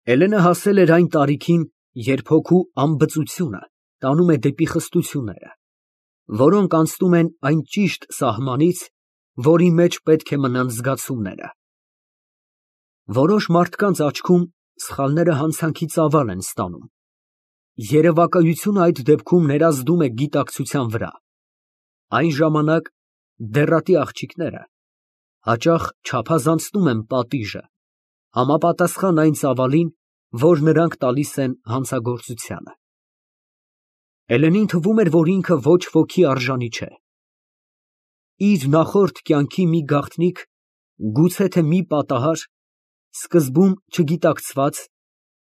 Էլենը հասել էր այն տարիքին, երբ հոգու անբծությունը տանում է դեպի խստությունները, որոնք անցնում են այն ճիշտ սահմանից, որի մեջ պետք է մնան զգացումները։ Որոշ մարդկանց աչքում սխալները հանցանքի ծավալ են ստանում։ Երևակայությունը այդ դեպքում ներազդում է գիտակցության վրա։ Այն ժամանակ դեռատի աղջիկները հաճախ չափազանցնում են պատիժը, համապատասխան այն ծավալին, որ նրանք տալիս են հանցագործությանը։ Էլենին թվում էր, որ ինքը ոչ ոքի արժանի չէ։ Իր նախորդ կյանքի մի գաղտնիք, գուցե թե մի պատահար, սկզբում չգիտակցված,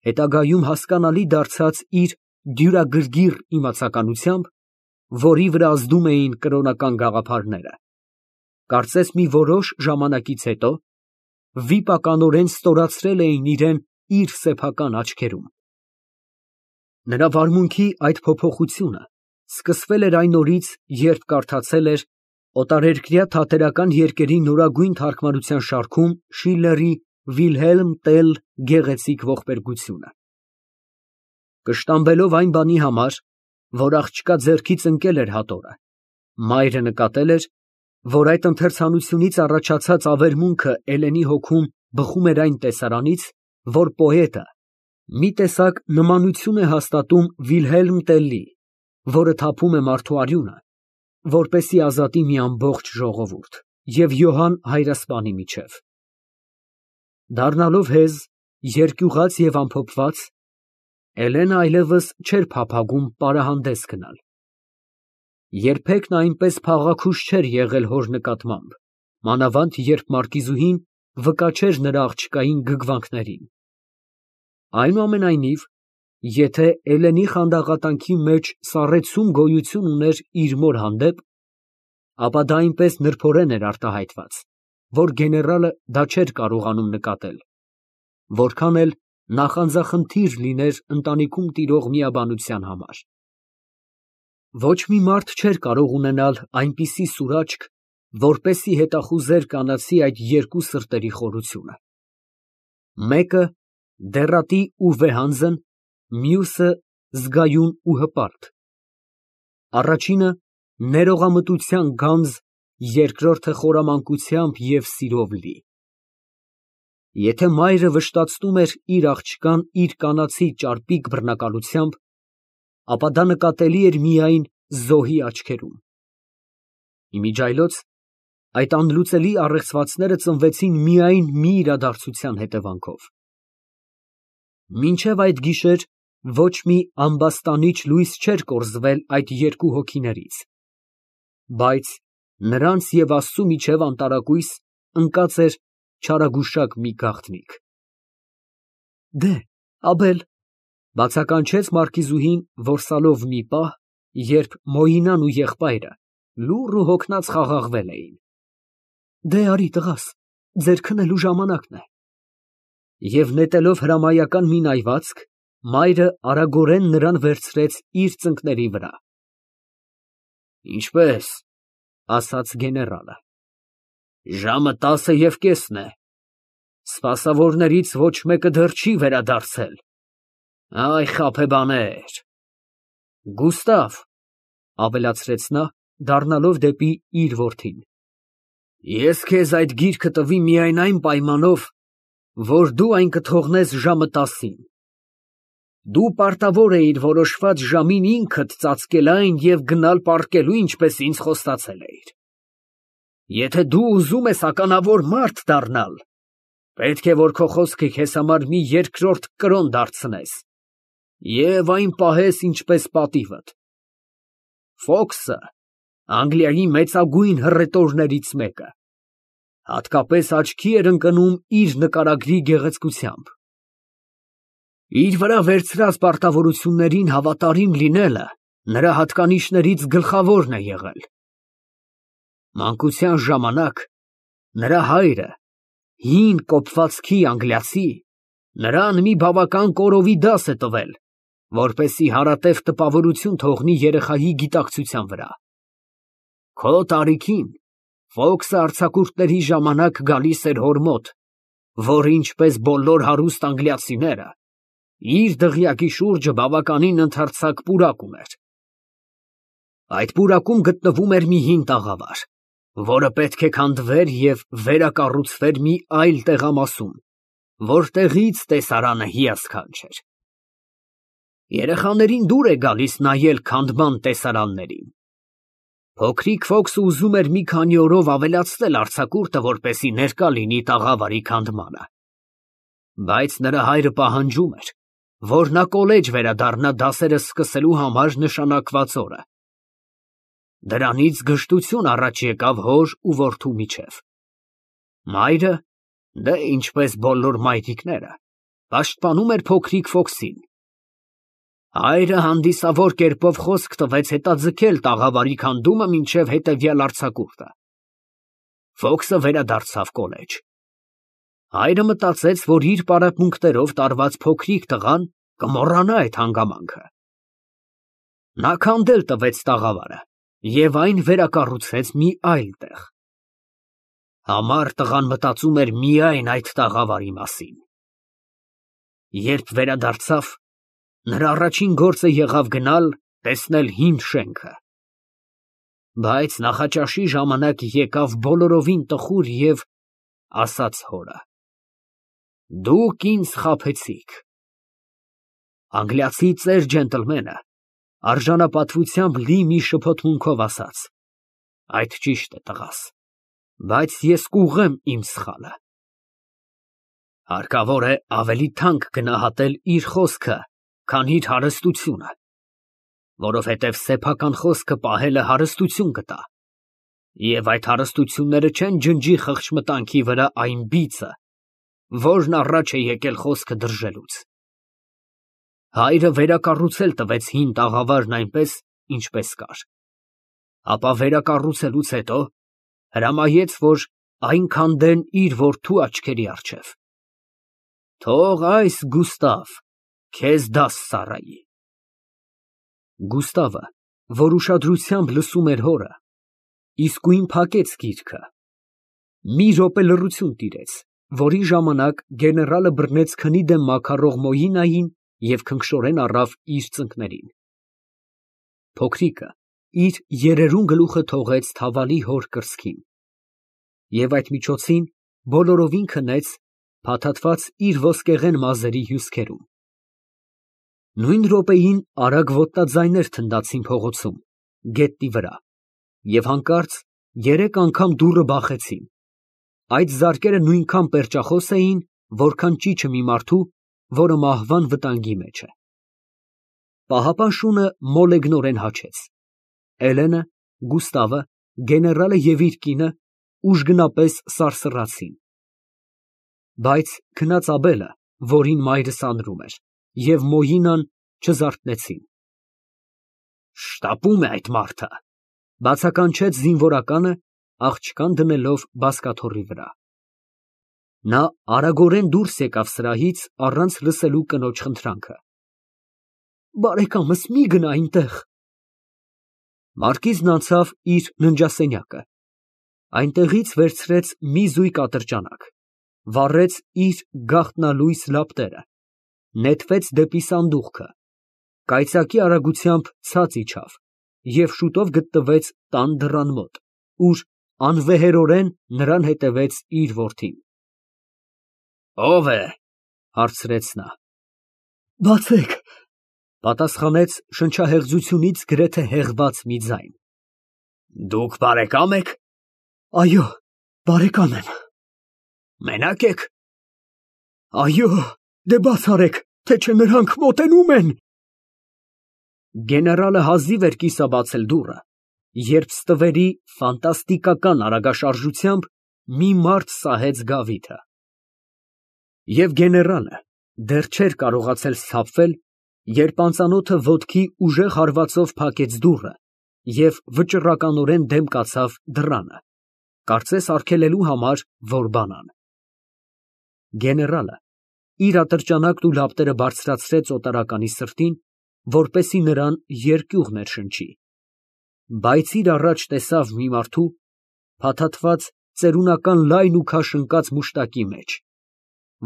հետագայում հասկանալի դարձած իր դյուրագրգիռ իմացականությամբ, որի վրա ազդում էին կրոնական գաղափարները, կարծես մի որոշ ժամանակից հետո վիպականորեն ստորացրել էին իրեն իր սեփական աչքերում։ Նրա վարմունքի այդ փոփոխությունը սկսվել էր այն օրից, երբ կարդացել էր օտարերկրյա թատերական երկերի նորագույն թարգմանության շարքում Շիլլերի Վիլհելմ Տել գեղեցիկ ողբերգությունը։ Կշտամբելով այն բանի համար, որ աղջկա ձեռքից ընկել էր հատորը, մայրը նկատել էր, որ այդ ընթերցանությունից առաջացած ավերմունքը Էլենի հոգում բխում էր այն տեսարանից, որ պոետը մի տեսակ նմանություն է հաստատում Վիլհելմ Տելլի, որը թափում է մարդու արյունը, որպեսզի ազատի մի ամբողջ ժողովուրդ, և Յոհան հայրասպանի միջև։ Դառնալով հեզ, երկյուղած և ամփոփված, Էլենը այլևս չէր փափագում պարահանդես գնալ։ Երբեք նա այնպես փաղաքուշ չէր եղել հոր նկատմամբ, մանավանդ երբ մարկիզուհին վկաչեր նրա աղջկային գրգռումներին։ Այնուամենայնիվ, եթե Էլենի խանդաղատանքի մեջ սառեցում գոյություն ուներ իր մոր հանդեպ, ապա դա այնպես նրբորեն էր արտահայտված, որ գեներալը դա չէր կարողանում նկատել, որքան էլ նախանձախնդիր լիներ ընտանիքում տիրող միաբանության համար։ Ոչ մի մարդ չէր կարող ունենալ այնպիսի սուր աչք, որպեսզի հետախուզեր կանացի այդ երկու սրտերի խորությունը։ Մեկը դեռատի ու վեհանձն, մյուսը զգայուն ու հպարտ։ Առաջինը ներողամտության գանձ, երկրորդը խորամանկությամբ և սիրով լի։ Եթե մայրը վշտացնում էր իր աղջկան իր կանացի ճարպիկ բռնակալությամբ, ապա դա նկատելի էր միայն զոհի աչքերում։ Իմիջիայլոց այդ անլուծելի առեղծվածները ծնվեցին միայն մի իրադարձության հետևանքով։ Մինչև այդ գիշեր ոչ մի ամբաստանիչ լույս չէր կորզվել այդ երկու հոգիներից, բայց նրանց և Աստծու միջև անտարակույս ընկած էր չարագուշակ մի գաղտնիք։ Դե, Աբել, բացականչեց մարկիզուհին, որսալով մի պահ, երբ Մոյինան ու եղբայրը լուռ ու հոգնած խաղաղվել էին։ Դե, արի տղաս, ձեր քնելու ժամանակն է։ Եվ նետելով հրամայական մի նայվածք, մայրը արագորեն նրան վերցրեց իր ծնկների վրա։ Ինչպե՞ս, ասաց գեներալը։ Ժամը 10:15 է։ Սպասավորներից ոչ մեկը դեռ չի վերադարձել։ Այ խաբեբաներ։ Գուստավ, ավելացրեց նա, դառնալով դեպի իր որդին, ես քեզ այդ գիրքը տվի միայն այն պայմանով, որ դու այն կթողնես ժամը 10-ին։ Դու պարտավոր էիր որոշված ժամին ինքդ ծածկել այն և գնալ պառկելու, ինչպես ինձ խոստացել էիր։ Եթե դու ուզում ես ականավոր մարդ դառնալ, պետք է, որ քո խոսքը քեզ համար մի երկրորդ կրոն դարձնես և այն պահես ինչպես պատիվդ։ Ֆոքսը Անգլիայի մեծագույն հռետորներից մեկը, հատկապես աչքի էր ընկնում իր նկարագրի գեղեցկությամբ։ Իր վրա վերցրած պարտավորություններին հավատարիմ լինելը նրա հատկանիշներից գլխավորն է եղել։ Մանկության ժամանակ նրա հայրը, հին կոպվածքի անգլիացի, նրան մի բավական կորովի դաս է տվել, որպեսզի հարատև տպավորություն թողնի երեխայի գիտակցության վրա։ Քո տարիքին Ֆոքսը արձակուրդների ժամանակ գալիս էր հոր մոտ, որ ինչպես բոլոր հարուստ անգլիացիները, իր դղյակի շուրջը բավականին ընդարձակ պուրակ ուներ։ Այդ պուրակում գտնվում էր մի հին տաղավար, որը պետք է քանդվեր և վերակառուցվեր մի այլ տեղամասում, որտեղից տեսարանը հիասքանչ էր։ Երեխաներին դուր է գալիս նայել քանդման տեսարաններին։ Փոքրիկ Ֆոքսը ուզում էր մի քանի օրով ավելացնել արձակուրդը, որպեսզի ներկա լինի տաղավարի քանդմանը։ Բայց նրա հայրը պահանջում էր, որ նա կոլեջ վերադառնա դասերը սկսելու համար նշանակված օրը։ Դրանից գժտություն առաջ եկավ հոր ու որդու միջև։ Մայրը, դե ինչպես բոլոր մայրիկները, պաշտպանում էր փոքրիկ Ֆոքսին։ Հայրը հանդիսավոր կերպով խոսք տվեց հետաձգել տաղավարի քանդումը մինչև հետևյալ արձակուրդը։ Ֆոքսը վերադարձավ կոլեջ։ Հայրը մտածեց, որ իր պարապմունքներով տարված փոքրիկ տղան կմոռանա այդ հանգամանքը։ Նա քանդել տվեց տաղավարը և այն վերակառուցեց մի այլ տեղ։ Համառ տղան մտածում էր միայն այդ տաղավարի մասին։ Երբ վերադարձավ, նրա առաջին գործը եղավ գնալ տեսնել հին շենքը։ Բայց նախաճաշի ժամանակ եկավ բոլորովին տխուր և ասաց հորը. «Դուք ինձ խաբեցիք»։ Անգլիացի ծեր ջենտլմենը արժանապատվությամբ լի մի շփոթմունքով ասաց. «Այդ ճիշտ է, տղաս, բայց ես կուղղեմ իմ սխալը»։ Հարկավոր է ավելի թանկ գնահատել իր խոսքը, քան իր հարստությունը, որովհետև սեփական խոսքը պահելը հարստություն կտա, և այդ հարստությունները չեն ջնջի խղճմտանքի վրա այն բիծը, որն առաջ է եկել խոսքը դրժելուց։ Հայրը վերակառուցել տվեց հին տաղավարն այնպես, ինչպես կար, ապա վերակառուցելուց հետո հրամայեց, որ այն քանդեն իր որդու աչքերի առջև։ Թող այս Գուստավ քեզ դաս ծառայի։ Գուստավը, որ ուշադրությամբ լսում էր հորը, իսկույն փակեց գիրքը։ Մի րոպե լռություն տիրեց, որի ժամանակ գեներալը բռնեց քնի դեմ մաքարող Մոյինային և քնքշորեն առավ իր ծնկներին։ Փոքրիկը իր երերուն գլուխը թողեց թավալի հոր կրծքին և այդ միջոցին բոլորովին քնեց, փաթաթված իր ոսկեղեն մազերի հյուսքերում։ Նույն րոպեին արագ ոտնաձայներ թնդացին փողոցում, գետնի վրա, և հանկարծ երեք անգամ դուռը բախեցին։ Այդ զարկերը նույնքան պերճախոս էին, որքան ճիչը մի մարդու, որը մահվան վտանգի մեջ է։ Պահապան շունը մոլեգնորեն հաչեց։ Էլենը, Գուստավը, գեներալը և իր կինը ուժգնապես սարսռացին։ Բայց քնած Աբելը, որին մայրը սանրում էր, և Մոյինան չզարթնեցին։ «Շտապում է այդ մարդը», ֊ բացականչեց զինվորականը, աղջկան դնելով բազկաթոռի վրա։ Նա արագորեն դուրս եկավ սրահից, առանց լսելու կնոջ խնդրանքը։ Բարեկամս, մի գնա այնտեղ։ Մարկիզն անցավ իր ննջասենյակը, այնտեղից վերցրեց մի զույգ ատրճանակ, վառեց իր գաղտնալույս լապտերը, նետվեց դեպի սանդուղքը, կայծակի արագությամբ ցած իջավ և շուտով գտնվեց տան դռան մոտ, ուր անվեհերորեն նրան հետևեց իր որդին։ «Ո՞վ է» հարցրեց նա։ «Բացեք», ֊ պատասխանեց շնչահեղձությունից գրեթե հեղված մի ձայն։ «Դուք բարեկա՞մ եք»։ «Այո, բարեկամ եմ»։ «Մենա՞կ եք»։ «Այո, դե բաց արեք, թե չէ նրանք մոտենում են»։ Գեներալը հազիվ էր կիսաբացել դուռը, երբ ստվերի ֆանտաստիկական արագաշարժությամբ մի մարդ սահեց գավիթը։ Եվ գեներալը դեռ չէր կարողացել սթափվել, երբ անծանոթը ոտքի ուժեղ հարվածով փակեց դուռը և վճռականորեն դեմ կացավ դռանը, կարծես արգելելու համար, որ բանան։ Գեներալը իր ատրճանակն ու լապտերը բարձրացրեց օտարականի սրտին, որպեսզի նրան երկյուղ ներշնչի, բայց իր առաջ տեսավ մի մարդու, փաթաթված ծերունական լայն ու քաշ ընկած մուշտակի մեջ,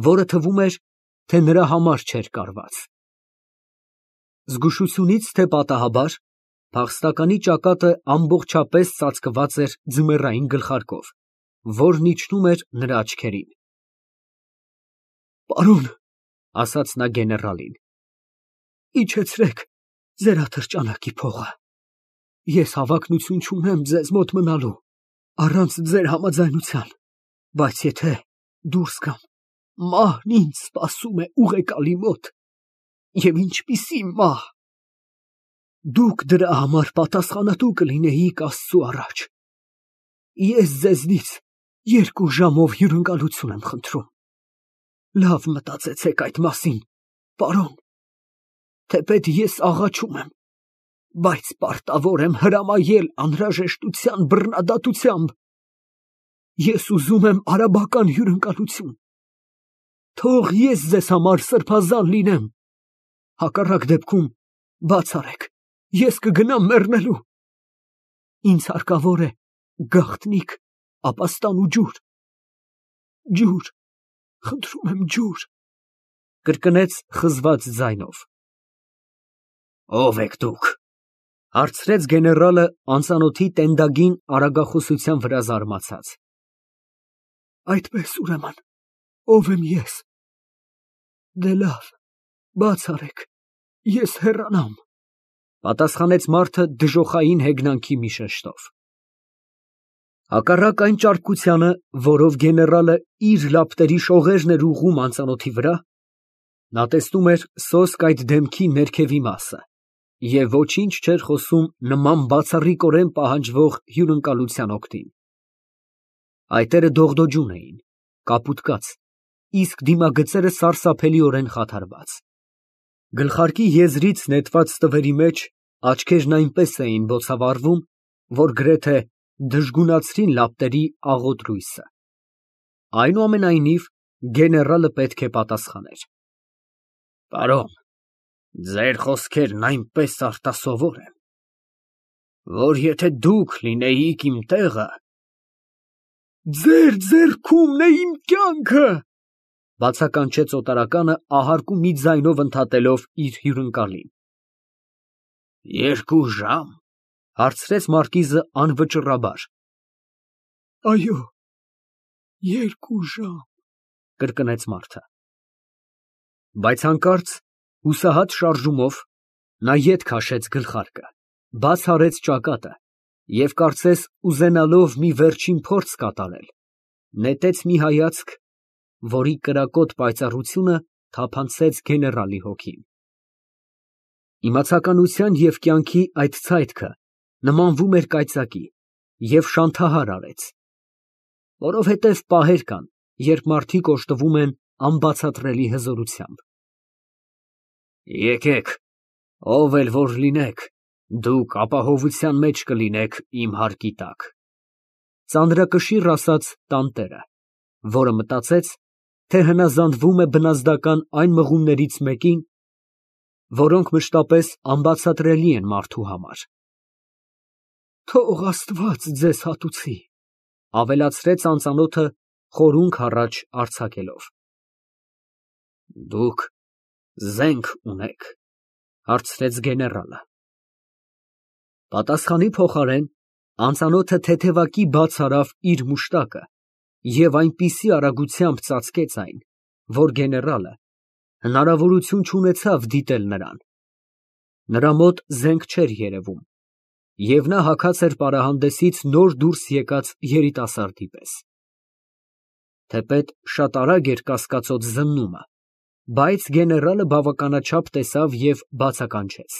որը թվում էր, թե նրա համար չէր կարված։ Զգուշությունից, թե պատահաբար, փախստականի ճակատը ամբողջապես ծածկված էր ձմեռային գլխարկով, որն իջնում էր նրա աչքերին։ «Պարոն», ասաց նա գեներալին, «իջեցրեք ձեր ատրճանակի փողը։ Ես հավակնություն չունեմ ձեզ մոտ մնալու, առանց ձեր համաձայնության, բայց եթե դուրս գամ, մահն ինձ սպասում է ուղեկալի մոտ, և ինչպիսի մահ։ Դուք դրա համար պատասխանատու կլինեիք Աստծու առաջ։ Ես ձեզնից 2 ժամով հյուրընկալություն եմ խնդրում։ Լավ մտածեցեք այդ մասին, պարոն, թեպետ ես աղաչում եմ, բայց պարտավոր եմ հրամայել անհրաժեշտության բռնադատությամբ։ Ես ուզում եմ արաբական հյուրընկալություն։ Թող ես ձեզ համար սրբազան լինեմ։ Հակառակ դեպքում բաց արեք, ես կգնամ մեռնելու։ Ինձ հարկավոր է գաղտնիք, ապաստան ու ջուր։ Ջուր, խնդրում եմ ջուր, կրկնեց խզված ձայնով։ Ո՞վ եք դուք, հարցրեց գեներալը անծանոթի տենդագին արագախոսության վրա զարմացած։ Այդպես ուրեմն, ով եմ ես։ Դե լավ, բաց արեք, ես հեռանամ, պատասխանեց մարդը դժոխային հեգնանքի մի շեշտով։ Հակառակ այն ճարպկությանը, որով գեներալը իր լապտերի շողերն էր ուղղում անծանոթի վրա, նա տեսնում էր սոսկ այդ դեմքի ներքևի մասը և ոչինչ չէր խոսում նման բացառիկորեն պահանջվող հյուրընկալության օգտին։ Այտերը դողդոջուն էին, կապուտկած, իսկ դիմագծերը սարսափելիորեն խաթարված։ Գլխարկի եզրից նետված տվերի մեջ աչքերն այնպես էին բոցավառվում, որ գրեթե դժգունացրին լապտերի աղոտ լույսը։ Այնուամենայնիվ, գեներալը պետք է պատասխաներ։ Պարոն, ձեր խոսքերն այնպես արտասովոր են, որ եթե դուք լինեիք իմ տեղը… Ձեր ձեռքումն է իմ կյանքը, բացականչեց օտարականը ահարկու մի ձայնով ընդհատելով իր հյուրընկալին։ 2 ժամ, հարցրեց մարկիզը անվճռաբար։ Այո, 2 ժամ, կրկնեց մարդը։ Բայց հանկարծ, հուսահատ շարժումով, նա ետ քաշեց գլխարկը, բաց արեց ճակատը և կարծես ուզենալով մի վերջին փորձ կատարել, նետեց մի հայացք, որի կրակոտ պայծառությունը թափանցեց գեներալի հոգին։ Իմացականության և կյանքի այդ ցայտքը նմանվում էր կայծակի և շանթահար արեց, որովհետև պահեր կան, երբ մարդիկ օժտվում են անբացատրելի հզորությամբ։ Եկեք, ով էլ որ լինեք, դուք ապահովության մեջ կլինեք իմ հարկի տակ, ծանրակշիռ ասաց տանտերը, որը մտածեց, թե հնազանդվում է բնազդական այն մղումներից մեկին, որոնք մշտապես անբացատրելի են մարդու համար։ Թող Աստված ձեզ հատուցի, ավելացրեց անծանոթը խորունգ առաջ արձակելով։ Դուք զենք ունեք, հարցրեց գեներալը։ Պատասխանի փոխարեն անծանոթը թեթևակի բաց արավ իր մուշտակը և այնպիսի արագությամբ ծածկեց այն, որ գեներալը հնարավորություն չունեցավ դիտել նրան։ Նրա մոտ զենք չէր երևում, և նա հագած էր պարահանդեսից նոր դուրս եկած երիտասարդի պես։ Թեպետ շատ արագ էր կասկածոտ զննումը, բայց գեներալը բավականաչափ տեսավ և բացականչեց.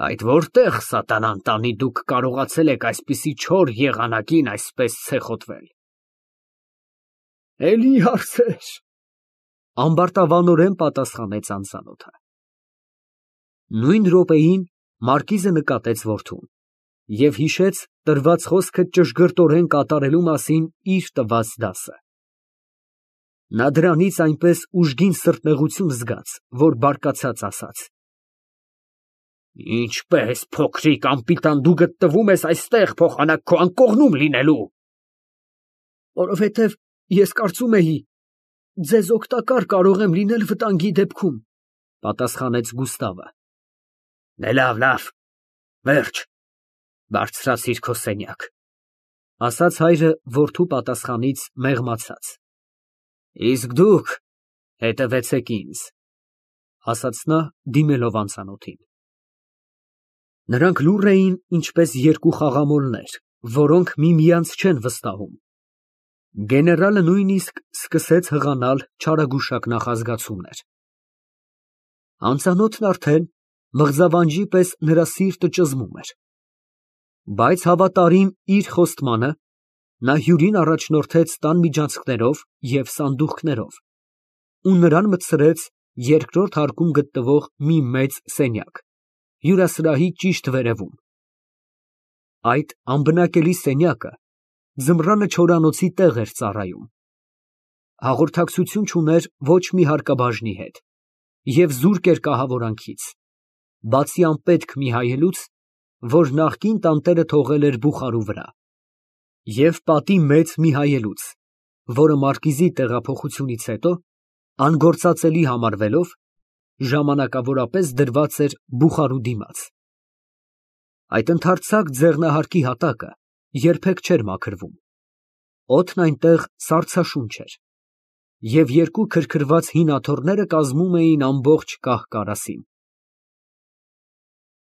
Այդ որտեղ սատանան տանի դուք կարողացել եք այսպիսի չոր եղանակին այսպես ցեխոտվել։ Էլի հարցեր, ամբարտավանորեն պատասխանեց անծանոթը։ Նույն րոպեին մարկիզը նկատեց որդուն և հիշեց տրված խոսքը ճշգրտորեն կատարելու մասին իր տված դասը։ Նա դրանից այնպես ուժգին սրտնեղություն զգաց, որ բարկացած ասաց. Ինչպես փոքրիկ անպիտան դու գտնվում ես այստեղ փոխանակ քո անկողնում լինելու։ Որովհետև ես կարծում էի, ձեզ օգտակար կարող եմ լինել վտանգի դեպքում, պատասխանեց Գուստավը։ Դե լավ, վերջ, բարձրացիր քո սենյակ, ասաց հայրը որդու պատասխանից մեղմացած։ Իսկ դուք հետևեցեք ինձ, ասաց նա դիմելով անծանոթին։ Նրանք լուռ էին, ինչպես երկու խաղամոլներ, որոնք միմյանց չեն վստահում։ Գեներալը նույնիսկ սկսեց հղանալ չարագուշակ նախազգացումներ։ Անծանոթն արդեն մղձավանջի պես նրա սիրտը ճզմում էր։ Բայց հավատարիմ իր խոստմանը, նա հյուրին առաջնորդեց տան միջանցքներով և սանդուղքներով ու նրան մտցրեց երկրորդ հարկում գտնվող մի մեծ սենյակ, հյուրասրահի ճիշտ վերևում։ Այդ անբնակելի սենյակը ձմռանը չորանոցի տեղ էր ծառայում։ Հաղորդակցություն չուներ ոչ մի հարկաբաժնի հետ և զուրկ էր կահավորանքից, բացի անպետք մի հայելուց, որ նախկին տանտերը թողել էր բուխարու վրա, և պատի մեծ մի հայելուց, որը մարկիզի տեղափոխությունից հետո, անգործածելի համարվելով, ժամանակավորապես դրված էր բուխարու դիմաց։ Այդ ընդարձակ ձեղնահարկի հատակը երբեք չէր մաքրվում, օդն այնտեղ սառցաշունչ էր, և երկու քրքրված հին աթոռները կազմում էին ամբողջ կահ֊կարասին։